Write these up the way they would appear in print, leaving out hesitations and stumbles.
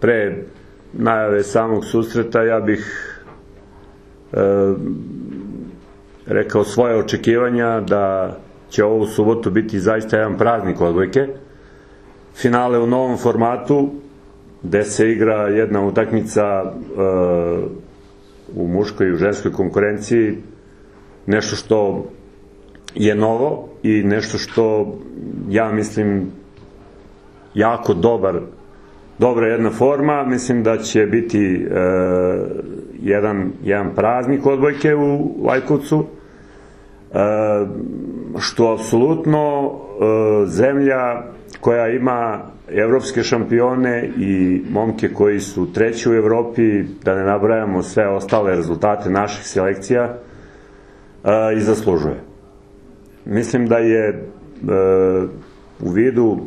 pre najave samog susreta ja bih rekao svoje očekivanja da će ovu subotu biti zaista jedan praznik odbojke. Finale u novom formatu, gde se igra jedna utakmica u muškoj i u ženskoj konkurenciji, nešto što je novo i nešto što ja mislim jako dobra jedna forma. Mislim da će biti jedan praznik odbojke u Lajkovcu, što apsolutno zemlja koja ima evropske šampione i momke koji su treći u Evropi, da ne nabrajamo sve ostale rezultate naših selekcija, i zaslužuje. Mislim da je u vidu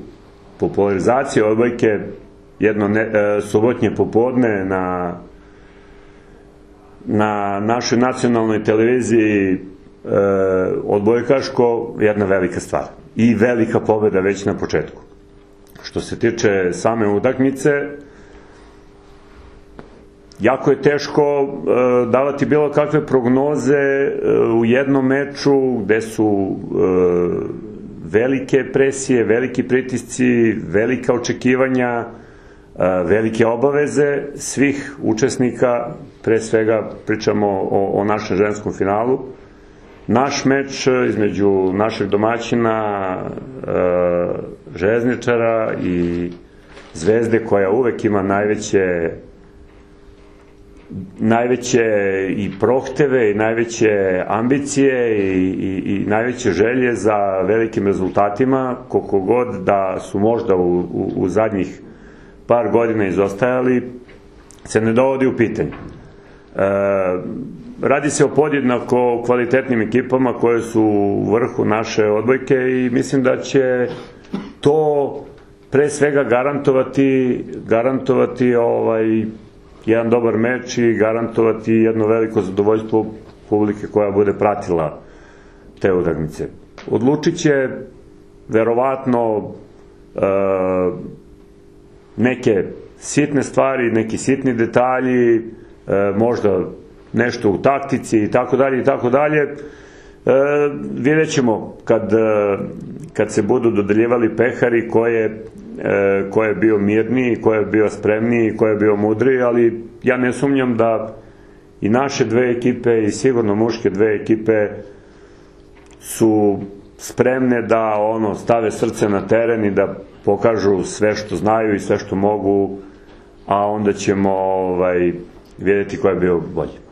popularizacije odbojke jedno subotnje popodne na našoj nacionalnoj televiziji odbojkaško jedna velika stvar i velika pobeda već na početku. Što se tiče same utakmice, jako je teško davati bilo kakve prognoze u jednom meču gde su velike presije, veliki pritisci, velika očekivanja, velike obaveze svih učesnika. Pre svega pričamo o našem ženskom finalu. Naš meč između našeg domaćina Željezničara i Zvezde, koja uvek ima najveće i prohteve i najveće ambicije i najveće želje za velikim rezultatima, koliko god da su možda u zadnjih par godina izostajali, se ne dovodi u pitanje. Radi se o podjednako kvalitetnim ekipama koje su u vrhu naše odbojke i mislim da će to pre svega garantovati jedan dobar meč i garantovati jedno veliko zadovoljstvo publike koja bude pratila te utakmice. Odlučit će verovatno neke sitne stvari, neki sitni detalji, možda nešto u taktici i tako dalje i tako dalje. Vidjet ćemo kad se budu dodeljivali pehari ko je bio mirniji, ko je bio spremniji, ko je bio mudriji, ali ja ne sumnjam da i naše dve ekipe i sigurno muške dve ekipe su spremne da stave srce na teren i da pokažu sve što znaju i sve što mogu, a onda ćemo vidjeti ko je bio bolji.